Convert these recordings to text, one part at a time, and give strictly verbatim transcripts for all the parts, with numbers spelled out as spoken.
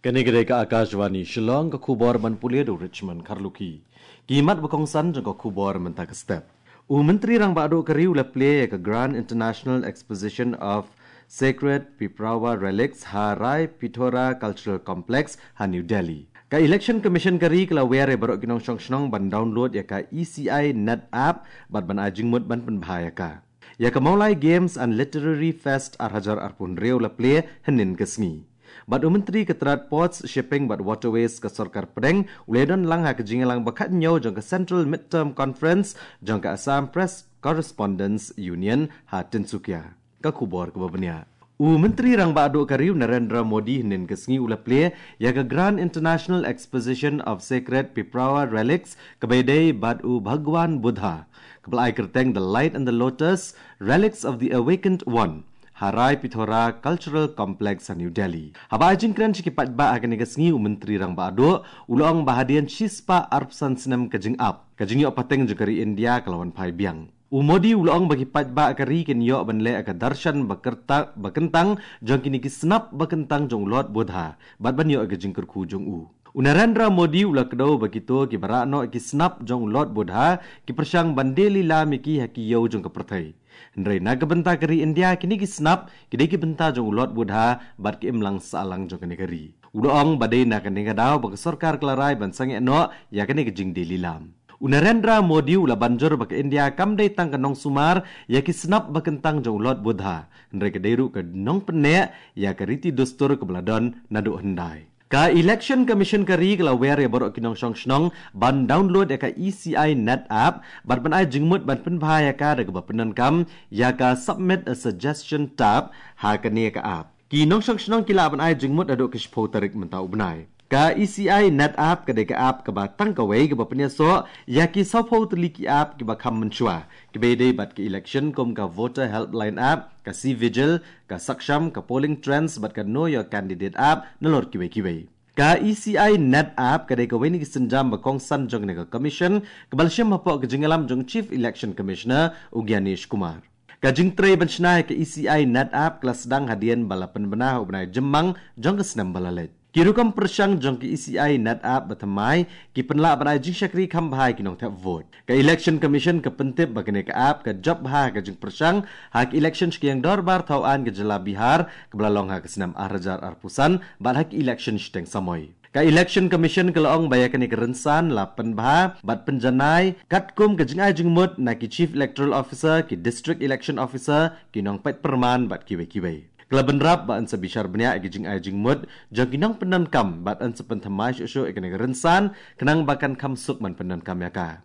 Kane ka dei ka Akashvani Shillong, ka khubor ban pule da u Richmond Kharlukhi. Ki mat ba kongsan jong ka khubor mynta ka step. U Myntri Rangbah Duh ka ri u la plie ïa ka Grand International Exposition of Sacred Piprawa Relics ha Rai Pithora Cultural Complex ha New Delhi. Ka Election Commission ka ri ka la wer ïa baroh ki nongshong shnong ban download ïa ka E C I Net app bad ban ai jingmut ban pynbha ïa ka. Ïa ka Mawlai Games and Literary Fest ar hajar arphew hynriew la plie hynnin ka sngi. Bad u Myntri ka tnad Ports, Shipping bad Waterways ka Sorkar Pdeng u la don lang ha ka jingïalang ba khathynñiew jong ka Central Midterm Conference jong ka Assam Press Correspondents Union ha Tinsukia. Ka khubor kaba bniah. U Myntri Rangbah Duh ka ri u Narendra Modi hynnin ka sngi u la plie ïa ka Grand International Exposition of Sacred Piprawa Relics kaba ïadei bad u Bhagwan Buddha, kaba la ai kyrteng The Light and the Lotus, Relics of the Awakened One, ha Rai Pithora Cultural Complex ha New Delhi. Haba ai jingkren sha ki paidbah ha kane ka sngi, u Myntri Rangbah Duh u la ong ba hadien shispah arphew san snem ka jingap, ka jingïoh pateng jong ka ri India ka la wan phai biang. U Modi u la ong ba ki paidbah ka ri kin ïoh ban leh ïa ka darshan ba kyrta-, ba kyntang jong kine ki snap ba kyntang jong u Lord Buddha bad ban ïoh ïa ka jingkyrkhu jong u. U Narendra Modi u la kdew ba kito kiba rah noh ïa ki snap jong u Lord Buddha ki pyrshang ban die lilam ïa ki ha ki ïew jong ka pyrthei. Hynrei na ka bynta ka ri India, kine ki snap ki dei ki bynta jong u Lord Buddha bad ki imlang sahlang jong kane ka ri. U la ong ba dei na kane ka daw ba ka sorkar ka la rai ban sangeh noh ïa kane ka jingdie lilam. U Narendra Modi u la ban jur ba ka India kam dei tang ka nongsumar ïa ki snap ba kyntang jong u Lord Buddha, hynrei ka dei ruh ka nongpynneh ïa ka riti dustur kaba la don naduh hyndai. Ka Election Commission ka ri ka la wer ïa baroh ki nongshong shnong ban download ïa ka E C I Net app bad ban ai jingmut ban pynbha ïa ka da kaba pyndonkam ïa ka Submit a Suggestion tab ha kane ka app. Ki nongshong shnong ki lah ban ai jingmut haduh ka shiphew tarik mynta u bnai. Ka E C I Net app ka dei ka app kaba tang kawei kaba pynïasoh ïa ki sawphew tylli ki app kiba kham mynshuwa, kiba ïadei bad ka election, kum ka Voter Helpline app, ka C-Vigil, ka Saksham, ka Polling Trends bad ka Know Your Candidate app, nalor kiwei kiwei. Ka E C I Net app ka dei kawei na ki sienjam ba kongsan jong kane ka commission kaba la shim hapoh ka jingïalam jong Chief Election Commissioner u Gyanesh Kumar. Ka jingtrei ban shna ïa ka E C I Net app ka la sdang hadien ba la pynbna ha u bnai Jymmang jong ka snem ba la leit. Ki rukom pyrshang jong ka E C I Net app ba thymmai ki pynlah ban ai jingshakri kham bha ïa ki nongthep vote. Ka Election Commission ka pyntip ba kane ka app ka jop bha ha ka jingpyrshang ha ka election shkiang dorbar thaw aiñ ka jylla Bihar kaba la long ha ka snem ar hajar arphew san bad ha ka election shiteng samoi. Ka Election Commission ka la ong ba ïa kane ka rynsan la pynbha bad pynjanai katkum ka jingai jingmut na ki Chief Electoral Officer, ki District Election Officer, ki nongpeit pyrman bad kiwei kiwei. Ka la bynrap ba yn sa bishar bniah ïa ka jingai jingmut jong ki nongpyndonkam bad yn sa pynthymmai shuh shuh ïa kane ka rynsan khnang ba kan kham suk ban pyndonkam ïa ka.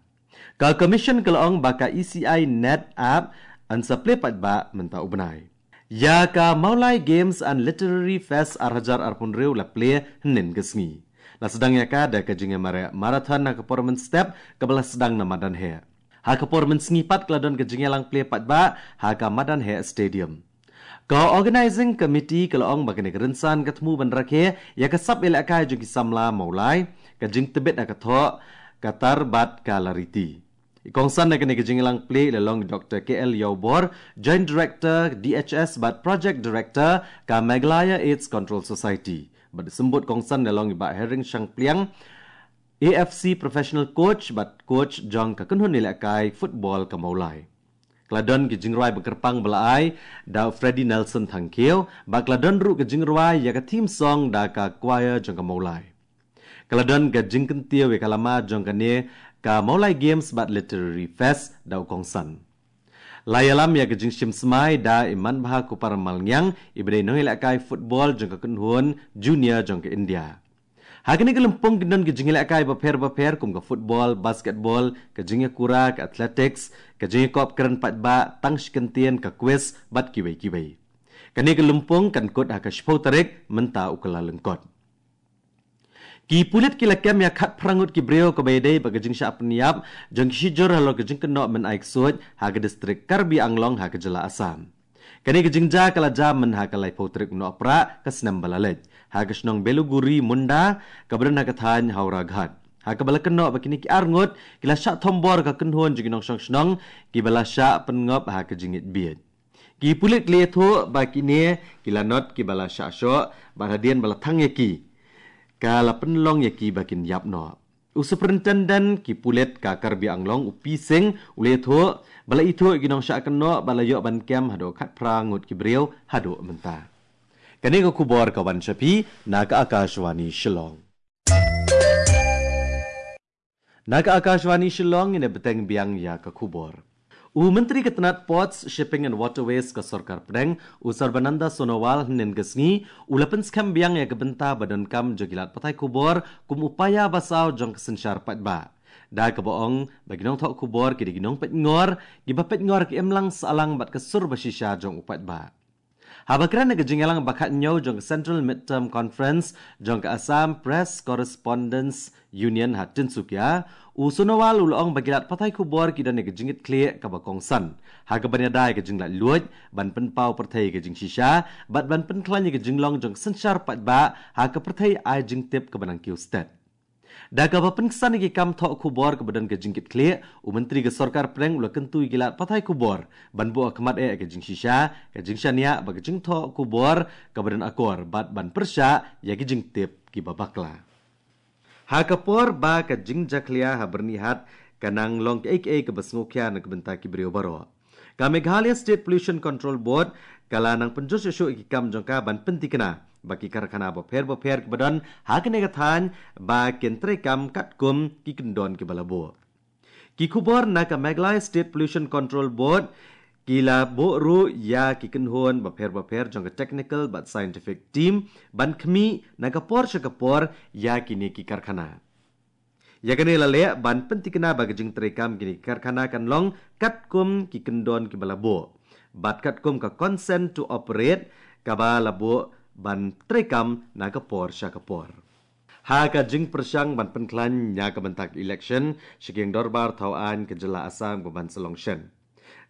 Ka Commission ka la ong ba ka E C I Net app yn sa plie paidbah mynta u bnai. Ïa ka Mawlai Games and Literary Fest ar hajar arphew hynriew la plie hynnin ka sngi. La sdang ïa ka da ka jingïamareh marathon ha ka por mynstep kaba la sdang na madan heh. Ha ka por mynsngi pat ka la don ka jingïalang plie paidbah ha ka madan heh stadium. Ka Organizing Committee ka la ong ba kane ka rynsan ka thmu ban rakhe ïa ka sap ïalehkai jong ki samla Mawlai, ka jingtbit ha ka thoh, ka tar bad ka lariti. I kongsan ha kane ka jingïalang plie i la long Doctor K L Ïawbor, Joint Director D H S bad Project Director ka Meghalaya AIDS Control Society. Bad i symbud kongsan i la long i Bah Hering Shangpliang, A F C professional coach bad coach jong ka kynhun ïalehkai football ka Mawlai. Ka la don ki jingrwai ba kyrpang ba la ai da u Freddy Nelson Thangkhiew, bad ka la don ruh ka jingrwai ïa ka theme song da ka choir jong ka Mawlai. Ka la don ka jingkyntiew ïa ka lama jong kane ka Mawlai Games bad Literary Fest da u kongsan. La ïalam ïa ka jingshim smai da i Manbha Kupar Malngiang, iba dei nongïalehkai football jong ka kynhun junior jong ka India. Ha kane ka lympung kin don ki jingïalehkai bapher bapher kum ka football, basketball, ka jingïakura, ka athletics, ka jingïakop kren paidbah, tang shi kyntien, ka quiz bad kiwei kiwei. Kane ka lympung kan kut ha ka shiphew tarik mynta u Kyllalyngkot. Ki pulit ki la kem ïa khatphra ngut ki briew kaba ïadei bad ka jingshah pynïap jong ki shijur halor ka jingkynnoh mynai ksuid ha ka distrik Karbi Anglong ha ka jylla Assam. Kane ka jingjia ka la jia mynha ka laiphew tarik u Nohprah ka snem ba la leit ha ka shnong Beluguri Munda kaba don ha ka thaiñ Howraghat, ha kaba la kynnoh ba kine ki ar ngut ki la shah thombor ka kynhun jong ki nongshong shnong kiba la shah pynngop ha ka jingngeit bieit. Ki pulit ki la ïathuh ba kine ki la not kiba la shah shoh bad hadien ba la thang ïa ki, ka la pynlong ïa ki ba kin ïap noh. U Superintendent ki pulit ka Karbi Anglong, u P Singh, u la ïathuh ba la ithuh ïa ki nongshah kynnoh ba la ïoh ban kem haduh khatphra ngut ki briew haduh mynta. Kane ka khubor ka wan sha phi na ka Akashvani Shillong. Na ka Akashvani Shillong, ngin ïa bteng biang ïa ka khubor. U Myntri ka tnat Ports, Shipping and Waterways ka Sorkar Pdeng, u Sarbananda Sonowal, hynnin ka sngi u la pynskhem biang ïa ka bynta ba donkam jong ki lad pathai khubor kum u paia ba saw jong ka synshar paidbah. Da kaba ong ba ki nongthoh khubor ki dei ki nongpeitngor, kiba peitngor ka imlang sahlang bad ka sur ba shisha jong u paidbah. Haba kren ha ka jingïalang ba khathynñiew jong ka Central Midterm Conference jong ka Assam Press Correspondents Union ha Tinsukia, u Sonowal u la ong ba ki lad pathai khubor ki don ïa ka jingkitkhlieh kaba kongsan ha kaban ïada ïa ka jinglaitluid, ban pynpaw pyrthei ïa ka jingshisha bad ban pynkhlaiñ ïa ka jinglong jong ka synshar paidbah ha ka pyrthei ai jingtip kaba nang kiew stet. Da kaba pynksan ïa ki kam thoh khubor kaba don ka jingkitkhlieh, u Myntri ka Sorkar Pdeng u la kyntu ïa ki lad pathai khubor ban buh khmat eh ïa ka jingshisha, ka jingshaniah bad ka jingthoh khubor kaba don akor bad ban pyrshah ïa ki jingtip kiba bakla. Ha ka por ba ka jingjakhlia ha Byrnihat ka nang long kaei kaei kaba sngewkhia na ka bynta ki briew baroh, ka Meghalaya State Pollution Control Board ka la nang pynjur shuh shuh ïa ki kam jong ka ban pyntikna ba ki karkhana bapher bapher kiba don ha kane ka thaiñ ba kin treikam katkum ki kyndon kiba la buh. Ki khubor na ka Meghalaya State Pollution Control Board ki la buh ruh ïa ki kynhun bapher bapher jong ka technical bad scientific team ban khmih na ka por sha ka por ïa kine ki karkhana. Ïa kane la leh ban pyntikna ba ka jingtreikam kine ki karkhana kan long katkum ki kyndon kiba la buh bad katkum ka consent to operate kaba la buh ban treikam na ka por sha ka por. Ha ka jingpyrshang ban pynkhlaiñ ïa ka bynta ka election sha ka Ïing Dorbar Thaw Aiñ ka jylla Assam kaba ban sa long shen,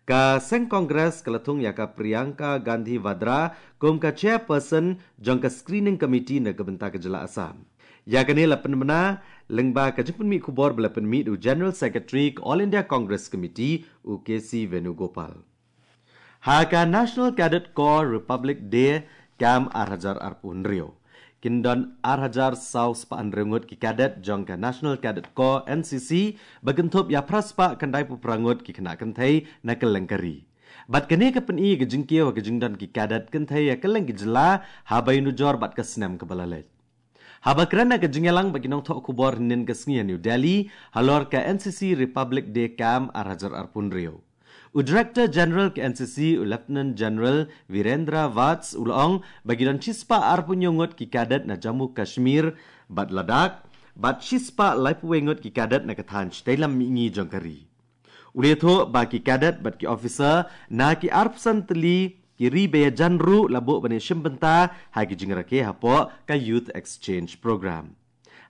ka seng Congress ka la thung ïa ka Priyanka Gandhi Vadra kum ka chairperson jong ka screening committee na ka bynta ka jylla Assam. Ïa kane la pynbna lyngba ka jingpynmih khubor ba la pynmih da u General Secretary ka All India Congress Committee, u K C Venugopal. Ha ka National Cadet Corps Republic Day Camp ar hajar arphew hynriew, kin don ar hajar saw spah hynriew ngut ki cadet jong ka National Cadet Corps, N C C, ba kynthup ïa phra spah khyndaiphew phra ngut ki khynnah kynthei na kylleng ka ri. Bad kane ka pyni ka jingkiew ha ka jingdon ki cadet kynthei ha kylleng ki jylla haba ïanujor bad ka snem kaba la leit. Haba kren ha ka jingïalang bad ki nongthoh khubor hynnin ka sngi ha New Delhi halor ka N C C Republic Day Camp ar hajar arphew hynriew, u Director General ka N C C, u Lieutenant General Virendra Vats, u la ong ba ki don shispah arphew hynñiew ngut ki cadet na Jammu Kashmir bad Ladakh, bad shispah laiphew wei ngut ki cadet na ka thaiñ shatei lam mihngi jong ka ri. U la ïathuh ba ki cadet bad ki officer na ki arphew san tylli ki ri ba ïajan ruh la buh ban ïashim bynta ha ki jingrakhe hapoh ka Youth Exchange Program.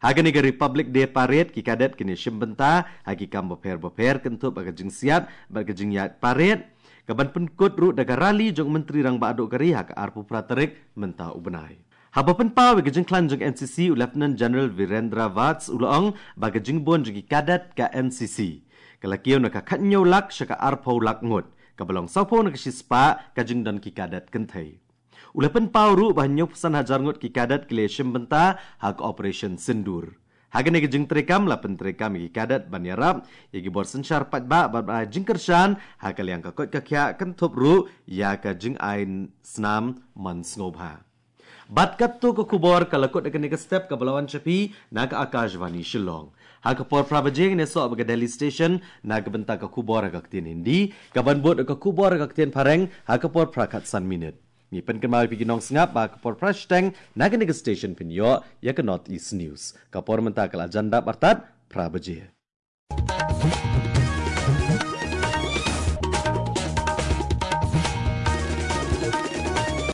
Ha kane ka Republic Day Parade, ki cadet kin ïashim bynta ha ki kam bapher bapher kynthup ha ka jingsiat bad ka jingïaid parade, kaban pynkut ruh da ka rally jong u Myntri Rangbah Duh ka ri ha ka arphew phra tarik mynta u bnai. Haba pynpaw ïa ka jingkhlaiñ jong N C C, u Lieutenant General Virendra Vats u la ong ba ka jingbun jong ki cadet ka N C C ka la kiew na ka khathynñiew lak sha ka arphew lak ngut, kaba long sawphew na ka shispah ka jingdon ki cadet kynthei. U la pynpaw ruh ba hynñiewphew san hajar ngut ki cadet ki la ïashim bynta ha ka Operation Sindoor. Ha kane ka jingtreikam la pyntreikam ïa ki cadet ban ïarap ïa ki bor synshar paidbah bad ban ai jingkyrshan ha ka liang ka koit ka khiah kynthup ruh ïa ka jingai snam mon sngewbha. Bad katto ka khubor ka la kut ha kane ka step kaba la wan sha phi na ka Akashvani Shillong. Ha ka por phra baje ngin ïasoh bad ka Delhi Station na ka bynta ka khubor ha ka ktien Hindi, kaban bud ka khubor ha ka ktien Phareng ha ka por phra khatsan minit. Ngi pynkynmaw ïa phi ki nongsngap ba ha ka por phra shiteng na kane ka station phin ïoh ïa ka North East News. Ka por mynta ka la jan dap artat phra baje.